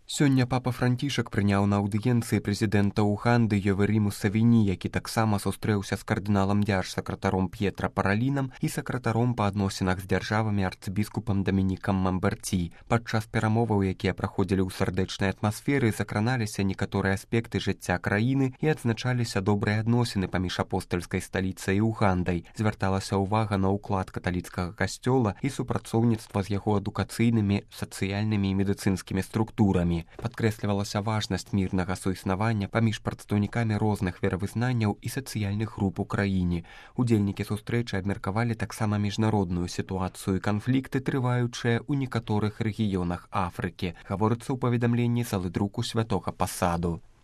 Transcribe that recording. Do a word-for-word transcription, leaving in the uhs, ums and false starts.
Сёння папа Францішак прыняў на аўдыенцыі прэзідэнта Уганды Йовері Мусавіні, які таксама сустрэўся з кардыналам дзяржсакратаром П'етра Паралінам і сакратаром па адносінах з дзяржавамі арцыбіскупам Дамінікам Мамберці. Падчас перамоваў, якія праходзілі ў сардэчнай атмасферы, закраналіся некаторыя аспекты жыцця краіны і адзначаліся добрыя адносіны паміж апостальскай сталіцай і Угандай. Звярталася ўвага на ўклад каталіцкага касцёла і супрацоўніцтва з яго адукацыйнымі, сацыяльнымі і медыцынскімі структурамі. Падкрэслівалася важнасць мірнага суіснавання паміж прадстаўнікамі розных веравызнанняў і сацыяльных груп у краіне. Удзельнікі сустрэчы абмеркавалі таксама міжнародную сітуацыю і канфлікты, трываючыя ў некаторых рэгіёнах Афрыкі, гаворыцца ў паведамленні з алыдруку святога пасаду.